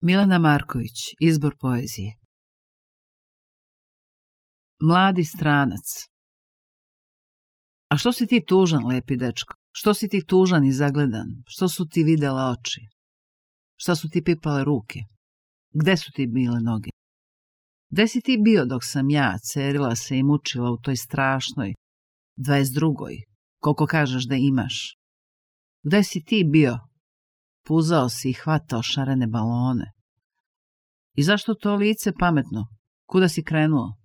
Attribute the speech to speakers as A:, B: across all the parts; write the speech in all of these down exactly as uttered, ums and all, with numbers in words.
A: Milena Marković, izbor poezije. Mladi stranac. A što si ti tužan, lepi dečko? Što si ti tužan i zagledan? Što su ti videle oči? Šta su ti pipale ruke? Gde su ti bile noge? Gde si ti bio dok sam ja cerila se i mučila u toj strašnoj dvadeset drugoj, koliko kažeš da imaš? Gde si ti bio? Puzao si i hvatao šarene balone. I zašto to lice pametno? Kuda si krenuo?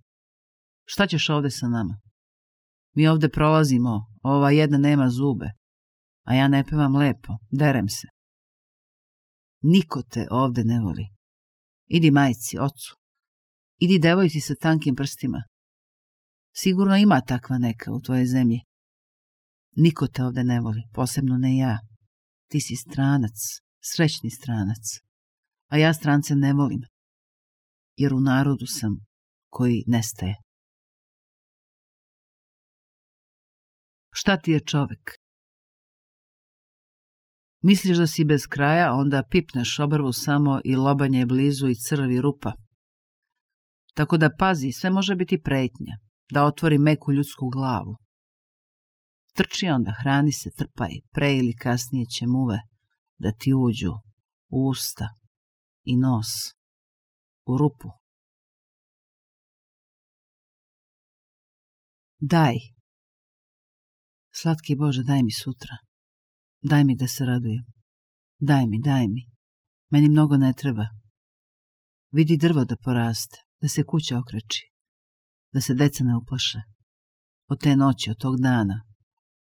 A: Šta ćeš ovde sa nama? Mi ovde prolazimo, ova jedna nema zube, a ja ne pevam lepo, derem se. Niko te ovde ne voli. Idi majci, ocu. Idi devojci sa tankim prstima. Sigurno ima takva neka u tvojoj zemlji. Niko te ovde ne voli, posebno ne ja. Ti si stranac, srećni stranac. A ja strance ne volim, jer u narodu sam koji nestaje. Šta ti je čovek? Misliš da si bez kraja, onda pipneš obrvu samo i lobanje je blizu i crvi rupa. Tako da pazi, sve može biti pretnja, da otvori meku ljudsku glavu. Trči onda, hrani se, trpaj, pre ili kasnije će muve da ti uđu u usta i nos, u rupu. Daj. Slatki Bože, daj mi sutra. Daj mi da se radujem. Daj mi, daj mi. Meni mnogo ne treba. Vidi drvo da poraste, da se kuća okreči, da se deca ne uplaše. Od te noći, od tog dana,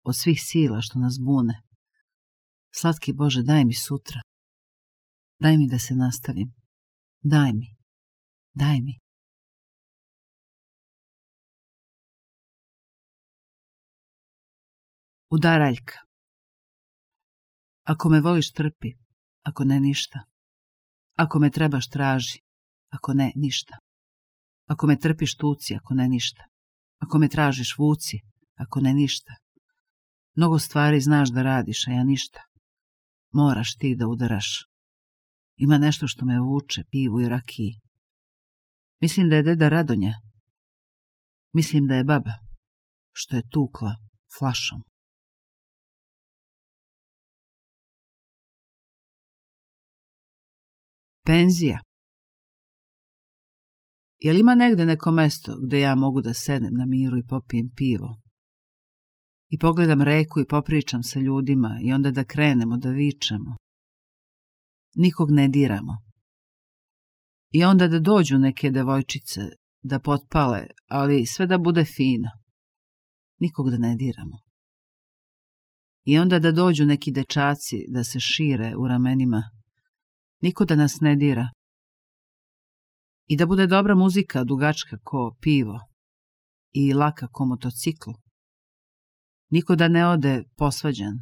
A: od svih sila što nas bune. Slatki Bože, daj mi sutra. Daj mi da se nastavim. Daj mi, daj mi. Udaraljka. Ako me voliš, trpi, ako ne, ništa. Ako me trebaš, traži, ako ne, ništa. Ako me trpiš, tuci, ako ne, ništa. Ako me tražiš, vuci, ako ne, ništa. Mnogo stvari znaš da radiš, a ja ništa. Moraš ti da udaraš. Ima nešto što me vuče, pivu i rakiji. Mislim da je deda Radonja. Mislim da je baba, što je tukla flašom. Penzija. Je li ima negde neko mesto gde ja mogu da sednem na miru i popijem pivo? I pogledam reku i popričam sa ljudima i onda da krenemo da vičemo. Nikog ne diramo. I onda da dođu neke devojčice da potpale, ali sve da bude fino. Nikog da ne diramo. I onda da dođu neki dečaci da se šire u ramenima. Niko da nas ne dira. I da bude dobra muzika, dugačka ko pivo i laka ko motocikl. Niko da ne ode posvađan.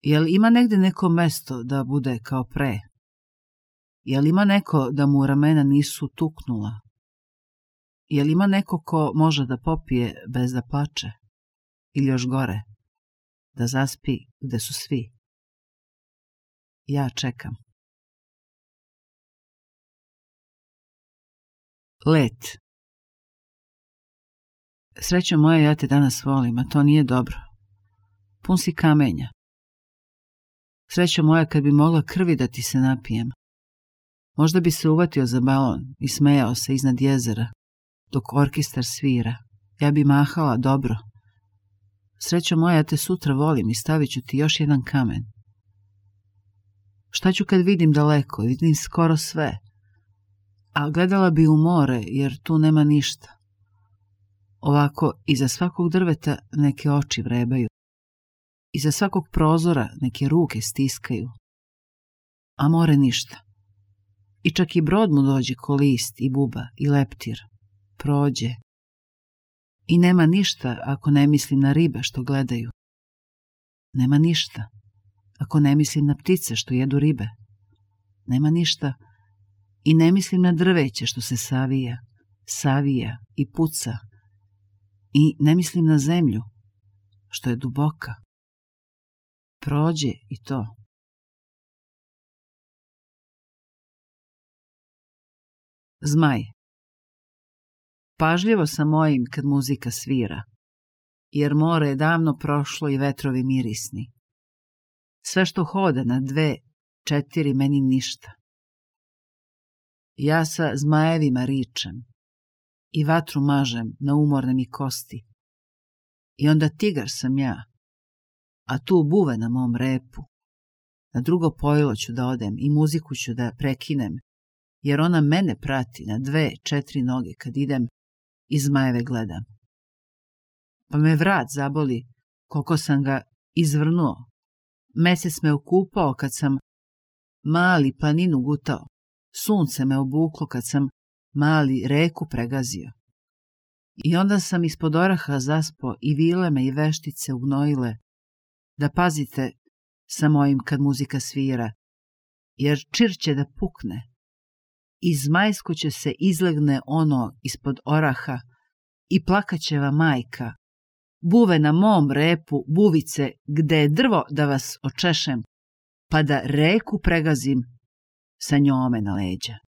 A: Jel ima negde neko mesto da bude kao pre? Jel ima neko da mu ramena nisu tuknula? Jel ima neko ko može da popije bez da plače? Ili još gore, da zaspi gde su svi? Ja čekam. Let. Srećo moja, ja te danas volim, a to nije dobro. Pun si kamenja. Srećo moja, kad bi mogla krvi da ti se napijem. Možda bi se uvatio za balon i smejao se iznad jezera, dok orkestar svira. Ja bi mahala dobro. Srećo moja, ja te sutra volim i stavit ću ti još jedan kamen. Šta ću kad vidim daleko, vidim skoro sve, a gledala bi u more, jer tu nema ništa. Ovako, iza svakog drveta neke oči vrebaju, iza svakog prozora neke ruke stiskaju, a more ništa. I čak i brod mu dođe ko list i buba i leptir, prođe. I nema ništa ako ne mislim na ribe što gledaju. Nema ništa ako ne mislim na ptice što jedu ribe. Nema ništa i ne mislim na drveće što se savija, savija i puca. I ne mislim na zemlju što je duboka. Prođe i to. Zmaj. Pažljivo sam mojim kad muzika svira, jer more je davno prošlo i vetrovi mirisni. Sve što hoda na dve, četiri, meni ništa. Ja sa zmajevima ričem i vatru mažem na umorne mi kosti. I onda tigar sam ja, a tu buve na mom repu. Na drugo pojilo ću da odem i muziku ću da prekinem, jer ona mene prati na dve, četiri noge kad idem i zmajeve gledam. Pa me vrat zaboli koliko sam ga izvrnuo. Mesec me okupao kad sam mali planinu gutao. Sunce me obuklo kad sam mali reku pregazio. I onda sam ispod oraha zaspo i vile me i veštice ugnojile. Da pazite sa mojim kad muzika svira, jer čir će da pukne. I zmajsko će se izlegne ono ispod oraha i plakaćeva majka. Buve na mom repu, buvice, gde je drvo da vas očešem, pa da reku pregazim sa njome na leđa.